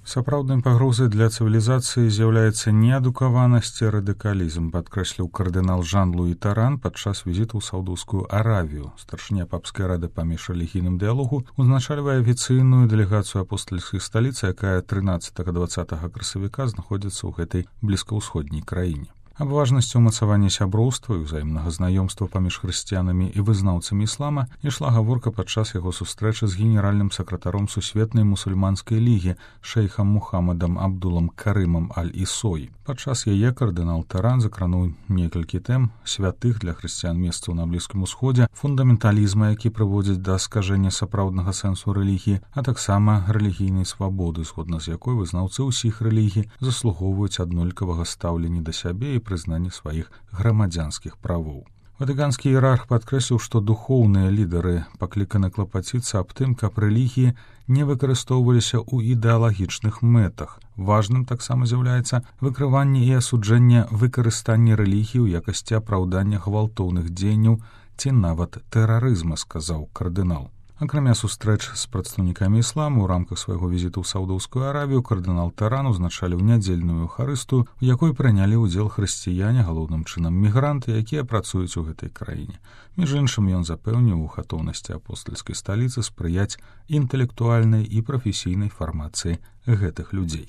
Сапраўднай пагрозай для цывілізацыі з'яўляецца неадукаванасць і радыкалізм, падкрэсліў кардынал Жан-Луі Таран падчас візіту ў Саўдаўскую Аравію. Старшыня папскай рады па міжрэлігійным дыялогу узначальвае афіцыйную дэлегацыю апостальскай сталіцы, якая 13-20 красавіка знаходзіцца ў гэтай блізкаўсходняй краіне. Аб важнасці ўмацавання сяброўства і ўзаемнага знаёмства паміж хрысціянамі і вызнаўцамі іслама ішла гаворка падчас яго сустрэчы з генеральным сакратаром Сусветнай мусульманскай лігі шэйхам Мухаммадам Абдулам Карымам Аль-Ісой. Падчас яе кардынал Таран закрануў некалькі тэм: святых для хрысціян месцаў на Блізкім Усходзе, фундаменталізма, які прыводзіць да скажэння сапраўднага сэнсу рэлігіі, а таксама рэлігійнай свабоды, згодна з якой вызнаўцы ўсіх рэлігій заслугоўваюць аднолькавага стаўлення да сябе і прызнанне сваіх грамадзянскіх правоў. Ватыканскі іерарх падкрэсліў, што духоўныя лідары пакліканы клапаціцца аб тым, каб рэлігіі не выкарыстоўваліся ў ідэалагічных мэтах. Важным таксама з'яўляецца выкрыванне і асуджэнне выкарыстання рэлігіі ў якасці апраўдання гвалтоўных дзеянняў ці нават тэрарызма, сказаў кардынал. Акрамя сустрэч з прадстаўнікамі ісламу ў рамках свайго візіту ў Саўдаўскую Аравію кардынал Таран узначаліў нядзельную эўхарыстыю, у якой прынялі ўдзел хрысціяне, галоўным чынам мігранты, якія працуюць у гэтай краіне. Між іншым, ён запэўніў у гатоўнасці апостальскай сталіцы спрыяць інтэлектуальнай і прафесійнай фармацыі гэтых людзей.